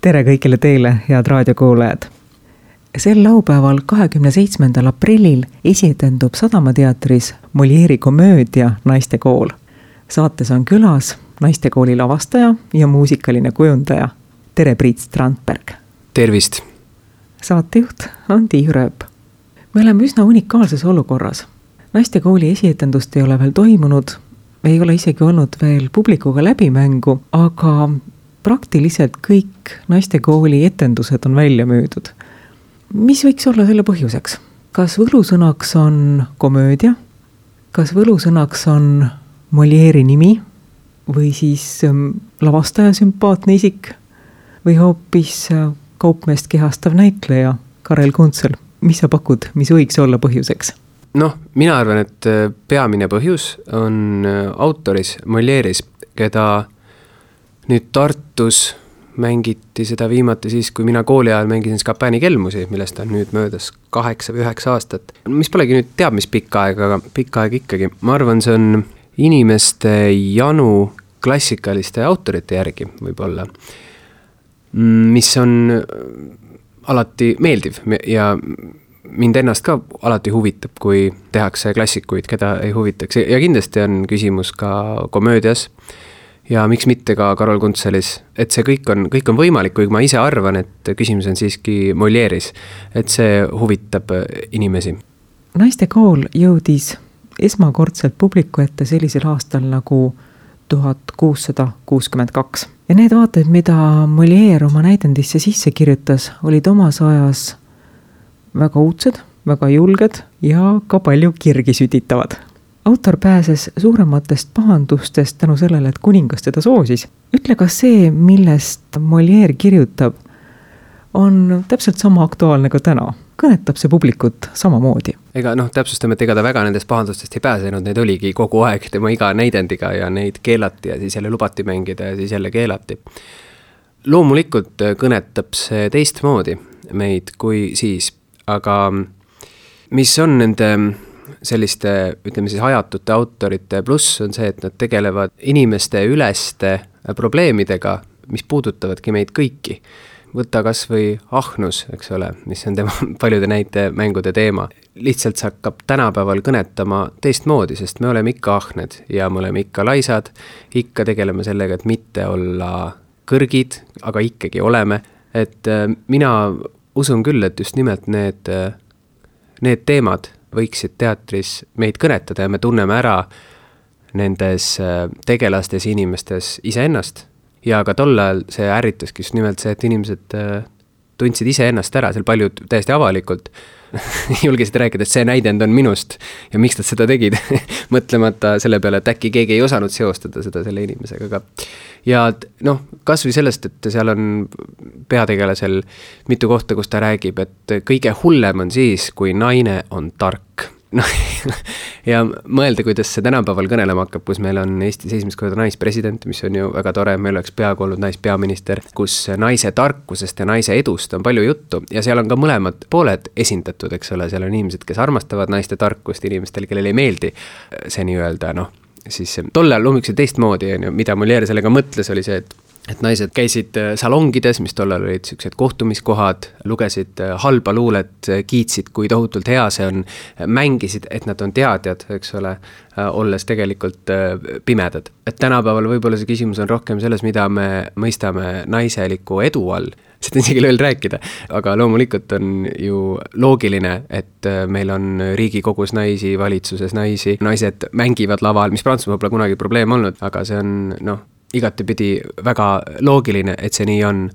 Tere kõigile teile, head raadiokuulajad! Sel laupäeval 27. aprillil esietendub Sadamateatris Molieri komöödia Naistekool. Saates on külas Naistekooli lavastaja ja muusikaline kujundaja. Tere, Priit Strandberg! Tervist! Saatejuht on Tiiu Rööp. Me oleme üsna unikaalses olukorras. Naistekooli esietendust ei ole veel toimunud, ei ole isegi olnud veel publikuga läbimängu, aga praktiliselt kõik Naistekooli etendused on välja müüdud. Mis võiks olla selle põhjuseks? Kas võlusõnaks on komöödia? Kas võlusõnaks on Molieri nimi? Või siis lavastaja sümpaatne isik? Või hoopis kaupmeest kehastav näitleja Karel Kuntsel? Mis sa pakud, mis võiks olla põhjuseks? Mina arvan, et peamine põhjus on autoris Molieris, keda nüüd Tartus mängiti seda viimati siis, kui mina kooli ajal mängisin Scapani kelmusi, millest on nüüd möödas 8 või 9 aastat. Mis polegi nüüd teab, mis pikka aeg, aga pikka aeg ikkagi. Ma arvan, see on inimeste janu klassikaliste autorite järgi võib-olla, mis on alati meeldiv ja mind ennast ka alati huvitab, kui tehakse klassikuid, keda ei huvitaks. Ja kindlasti on küsimus ka komöödias ja miks mitte ka Karel Kuntselis, et see kõik on võimalik, kui ma ise arvan, et küsimus on siiski Molieris, et see huvitab inimesi. Naistekool jõudis esmakordselt publiku ette sellisel aastal nagu 1662. Ja need vaated, mida Molière oma näidendisse sisse kirjutas, olid omas ajas väga uudsed, väga julged ja ka palju kirgi sütitavad. Autor pääses suurematest pahandustest tänu sellele, et kuningas teda soosis. Ütle, kas see, millest Molière kirjutab, on täpselt sama aktuaalne ka täna? Kõnetab see publikut samamoodi? Täpsustame, et ega ta väga nendest pahandustest ei pääsenud, need oligi kogu aeg tema iga näidendiga ja neid keelati ja siis jälle lubati mängida ja siis jälle keelati. Loomulikult kõnetab see teistmoodi meid kui siis, aga mis on nende selliste, ütleme siis hajatute autorite pluss on see, et nad tegelevad inimeste üleste probleemidega, mis puudutavadki meid kõiki. Võtta kas või ahnus, eks ole, mis on tema paljude näite mängude teema. Lihtsalt see hakkab tänapäeval kõnetama teistmoodi, sest me oleme ikka ahned ja me oleme ikka laisad, ikka tegeleme sellega, et mitte olla kõrgid, aga ikkagi oleme. Et mina usun küll, et just nimelt need teemad võiksid teatris meid kõnetada ja me tunneme ära nendes tegelastes inimestes iseennast. Ja ka tol ajal see ärritaski just nimelt see, et inimesed tundsid iseennast ära, seal paljud täiesti avalikult julgesid rääkida, et see näidend on minust ja miks nad seda tegid, mõtlemata selle peale, et äkki keegi ei osanud seostada seda selle inimesega ka. Ja kas või sellest, et seal on peategelasel mitu kohta, kus ta räägib, et kõige hullem on siis, kui naine on tark. Ja mõelda, kuidas see tänapäeval kõnelema hakkab, kus meil on Eesti esimest korda naispresident, mis on ju väga tore, meil oleks peaaegu olnud naispeaminister, kus naise tarkusest ja naise edust on palju juttu ja seal on ka mõlemad pooled esindatud, eks ole, seal on inimesed, kes armastavad naiste tarkust, inimestel, kellel ei meeldi see nii-öelda, siis tol ajal loomulikult teistmoodi, mida Molière sellega mõtles, oli see, et naised käisid salongides, mis tollal olid sellised kohtumiskohad, lugesid halba luulet, kiitsid, kui tohutult hea see on, mängisid, et nad on teadjad, eks ole, olles tegelikult pimedad. Et tänapäeval võib-olla see küsimus on rohkem selles, mida me mõistame naiseliku edu all. Seda isegi veel rääkida, aga loomulikult on ju loogiline, et meil on Riigikogus naisi, valitsuses naisi, naised mängivad laval, mis Prantsusmaal pole kunagi probleem olnud, aga see on igatepidi väga loogiline, et see nii on.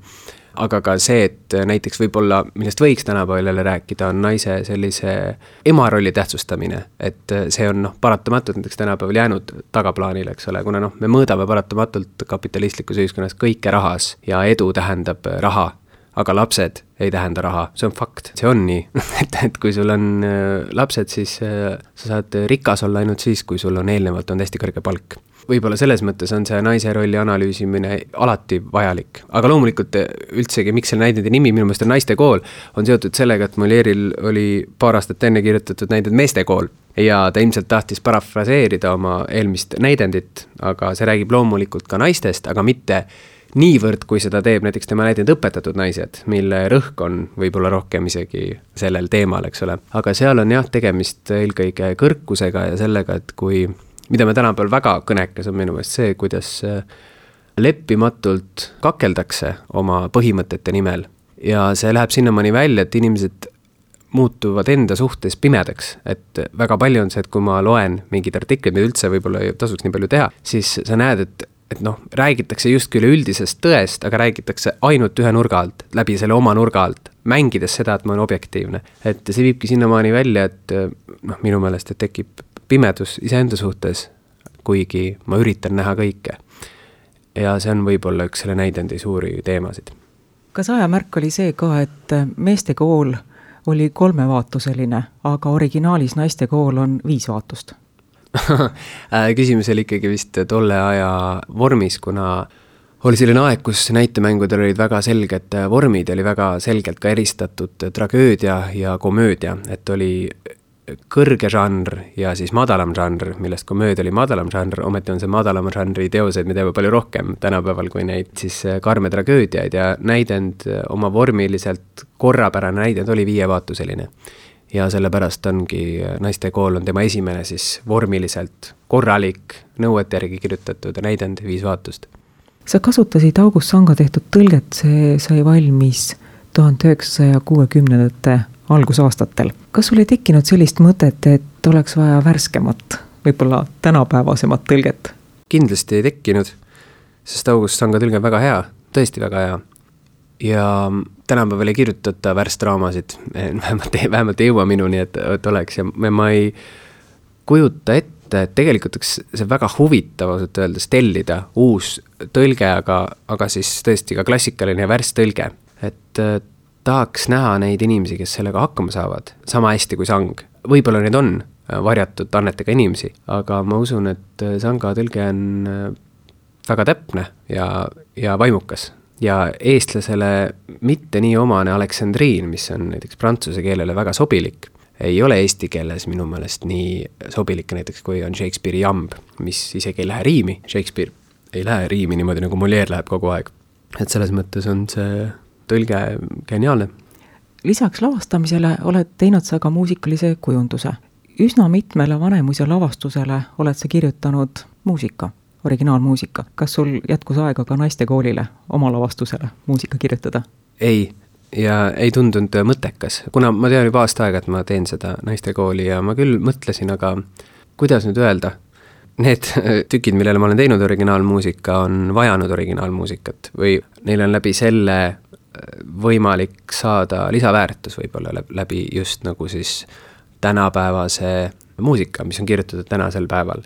Aga ka see, et näiteks võib-olla, millest võiks tänapäeval jälle rääkida, on naise sellise emarolli tähtsustamine, et see on paratamatult näiteks tänapäeval jäänud tagaplaanile, eks ole, kuna me mõõdame paratamatult kapitalistlikus ühiskonnas kõike rahas ja edu tähendab raha, aga lapsed ei tähenda raha, see on fakt, see on nii, et kui sul on lapsed, siis sa saad rikas olla ainult siis, kui sul on eelnevalt on hästi kõrge palk. Võib-olla selles mõttes on see naise rolli analüüsimine alati vajalik. Aga loomulikult üldsegi, miks selle näidendi nimi minu meelest on Naistekool, on seotud sellega, et Molieril oli paar aastat enne kirjutatud näidend Meestekool. Ja ta ilmselt tahtis parafraseerida oma eelmist näidendit, aga see räägib loomulikult ka naistest, aga mitte niivõrd, kui seda teeb näiteks tema näidend Õpetatud naised, mille rõhk on võib-olla rohkem isegi sellel teemal, eks ole. Aga seal on jah tegemist eelkõige kõrkusega ja sellega, et mida me tänapäeval väga kõnekas on minu meelest see, kuidas leppimatult kakeldakse oma põhimõtete nimel. Ja see läheb sinnamaani välja, et inimesed muutuvad enda suhtes pimedaks, et väga palju on see, et kui ma loen mingid artiklid, mida üldse võib-olla ei tasuks nii palju teha, siis sa näed, et räägitakse justkui üleüldisest tõest, aga räägitakse ainult ühe nurga alt, läbi selle oma nurga alt, mängides seda, et ma olen objektiivne. Et see viibki sinnamaani välja, et minu meelest, et tekib pimedus iseenda suhtes, kuigi ma üritan näha kõike. Ja see on võib-olla üks selle näidendi suuri teemasid. Kas ajamärk oli see ka, et meeste kool oli 3-vaatuseline, aga originaalis naiste kool on 5 vaatust? Küsimus oli ikkagi vist tolle aja vormis, kuna oli selline aeg, kus näitemängudel olid väga selged vormid, oli väga selgelt ka eristatud tragöödia ja komöödia, et oli kõrge žanr ja siis madalam žanr, millest komöödia oli madalam žanr, ometi on see madalama žanri teoseid, me teeme palju rohkem tänapäeval kui neid siis karme tragöödiaid ja näidend oma vormiliselt korrapärane näidend oli 5-vaatuseline. Ja sellepärast ongi naiste kool on tema esimene siis vormiliselt korralik nõuete järgi kirjutatud näidend 5 vaatust. Sa kasutasid August Sanga tehtud tõlget, see sai valmis 1960. algusaastatel. Kas sul ei tekkinud sellist mõtet, et oleks vaja värskemat, võib-olla tänapäevasemat tõlget? Kindlasti ei tekkinud, sest August Sanga tõlge on väga hea, tõesti väga hea. Ja tänapäeval ei kirjutata värstraamasid, vähemalt ei jõua minuni, et oleks. Ja ma ei kujuta ette, et tegelikult see väga huvitav ausalt öeldes tellida uus tõlge, aga siis tõesti ka klassikaline ja värstõlge. Et tahaks näha neid inimesi, kes sellega hakkama saavad, sama hästi kui Sang. Võib-olla need on varjatud annetega inimesi, aga ma usun, et Sanga tõlge on väga täpne ja vaimukas. Ja eestlasele mitte nii omane Aleksandriin, mis on näiteks prantsuse keelele väga sobilik, ei ole eesti keeles minu meelest nii sobilik näiteks, kui on Shakespeare'i jamb, mis isegi ei lähe riimi. Shakespeare ei lähe riimi niimoodi, nagu Molière läheb kogu aeg. Et selles mõttes on see tõlge geniaalne. Lisaks lavastamisele oled teinud sa ka muusikalise kujunduse. Üsna mitmele Vanemuise lavastusele oled sa kirjutanud muusika, originaalmuusika. Kas sul jätkus aega ka naistekoolile oma lavastusele muusika kirjutada? Ei, ja ei tundunud mõttekas, kuna ma tean juba aasta aega, et ma teen seda naistekooli ja ma küll mõtlesin, aga kuidas nüüd öelda? Need tükid, millele ma olen teinud originaalmuusika, on vajanud originaalmuusikat või neil on läbi selle võimalik saada lisaväärtus võib-olla läbi just nagu siis tänapäevase muusika, mis on kirjutatud tänasel päeval.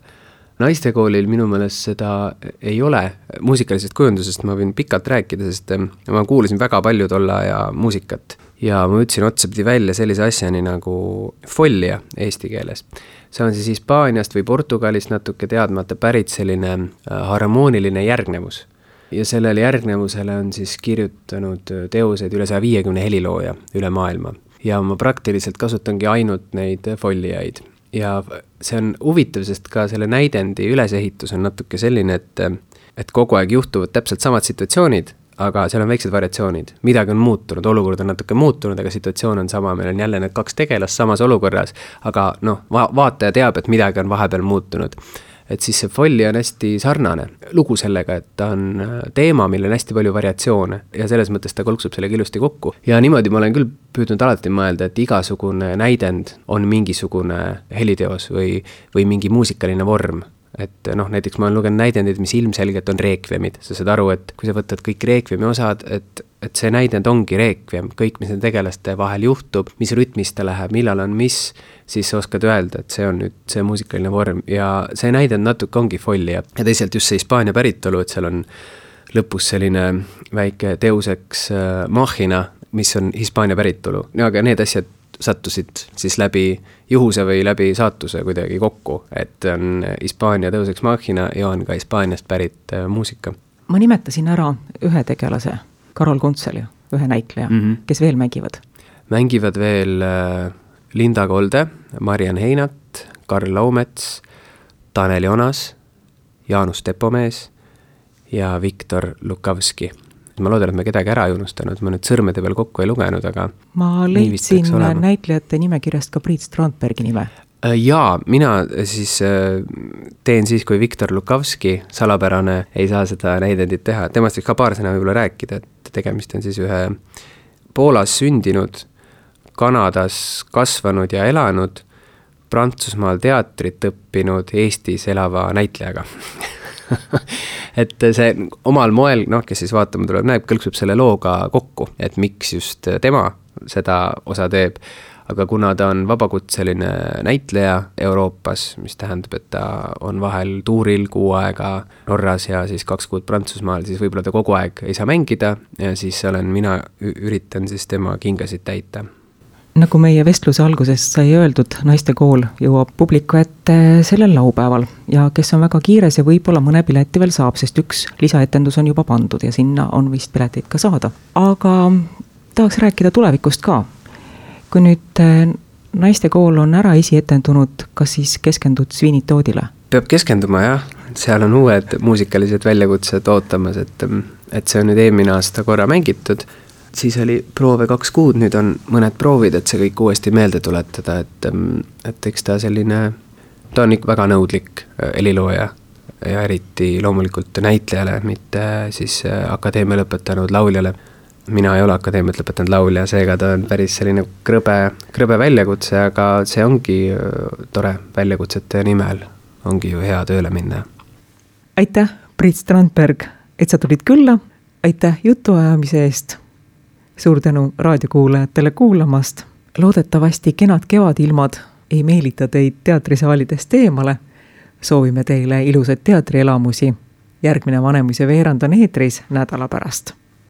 Naistekoolil minu meelest seda ei ole muusikalisest kujundusest, ma võin pikalt rääkida, sest ma kuulasin väga palju tolle aja muusikat ja ma ütlesin otsapidi välja sellise asjani nagu follia eesti keeles. See on siis Hispaaniast või Portugalist natuke teadmata pärit selline harmooniline järgnevus. Ja sellele järgnevusele on siis kirjutanud teoseid üle 150 helilooja üle maailma. Ja ma praktiliselt kasutangi ainult neid folliaid. Ja see on huvitav, sest ka selle näidendi ülesehitus on natuke selline, et kogu aeg juhtuvad täpselt samad situatsioonid, aga seal on väiksed variatsioonid. Midagi on muutunud, olukord on natuke muutunud, aga situatsioon on sama. Meil on jälle need 2 tegelast samas olukorras, aga vaataja teab, et midagi on vahepeal muutunud. Et siis see folli on hästi sarnane lugu sellega, et ta on teema, millel on hästi palju variatsioone ja selles mõttes ta kolksub selle ilusti kokku. Ja niimoodi ma olen küll püüdnud alati mõelda, et igasugune näidend on mingisugune heliteos või mingi muusikaline vorm. Et näiteks ma olen lugenud näidendid, mis ilmselgelt on reekviemid. Sa saad aru, et kui sa võtad kõik reekviemi osad, et see näidend ongi reekviem, kõik, mis need tegelaste vahel juhtub, mis rütmis ta läheb, millal on mis, siis sa oskad öelda, et see on nüüd see muusikaline vorm ja see näidend natuke ongi folli ja teisalt just see Hispaania päritolu, et seal on lõpus selline väike teuseks machina, mis on Hispaania päritolu. Aga need asjad sattusid siis läbi juhuse või läbi saatuse kuidagi kokku, et on Hispaania teoseks machina ja on ka Hispaaniast pärit muusika. Ma nimetasin ära ühe tegelase, Karol Kuntseli, ühe näitleja, kes veel mängivad? Mängivad veel Linda Kolde, Marian Heinat, Karl Laumets, Tanel Jonas, Jaanus Tepomees ja Viktor Lukavski. Ma loodan, et me kedagi ära ei unustanud, ma nüüd sõrmede peal kokku ei lugenud, aga ma leidsin näitlejate nimekirjast ka Priit Strandbergi nime. Jaa, mina siis teen siis, kui Viktor Lukavski, salapärane, ei saa seda näidendit teha. Temast võiks ka paar sõna võib-olla rääkida, et tegemist on siis ühe Poolas sündinud, Kanadas kasvanud ja elanud, Prantsusmaal teatrit õppinud, Eestis elava näitlejaga. Et see omal moel, kes siis vaatama tuleb, näeb, kõlksub selle looga kokku, et miks just tema seda osa teeb. Aga kuna ta on vabakutseline näitleja Euroopas, mis tähendab, et ta on vahel tuuril 6 aega Norras ja siis 2 kuud Prantsusmaal, siis võib-olla ta kogu aeg ei saa mängida ja siis mina üritan siis tema kingasid täita. Nagu meie vestluse alguses sai öeldud, Naistekool jõuab publiku ette sellel laupäeval ja kes on väga kiires ja võib-olla mõne pileti veel saab, sest üks lisaetendus on juba pandud ja sinna on vist pileteid ka saada. Aga tahaks rääkida tulevikust ka. Kui nüüd Naistekool on ära esietendunud, kas siis keskendud Sviinitoodile? Peab keskenduma, jah. Seal on uued muusikalised väljakutsed ootamas, et see on nüüd eelmine aasta korra mängitud. Siis oli proove 2 kuud, nüüd on mõned proovid, et see kõik uuesti meelde tuletada, et eks ta selline, ta on ikka väga nõudlik helilooja ja eriti loomulikult näitlejale, mitte siis akadeemia lõpetanud lauljale. Mina ei ole akadeemiat lõpetanud laulja, seega ta on päris selline krõbe väljakutse, aga see ongi tore väljakutsete nimel, ongi ju hea tööle minna. Aitäh, Priit Strandberg, et sa tulid külla, aitäh jutuajamise eest, suur tänu raadiokuulajatele kuulamast, loodetavasti kenad kevadilmad ei meelita teid teatrisaalidest eemale, soovime teile ilusat teatrielamusi, järgmine Vanemuise veerand on eetris nädala pärast.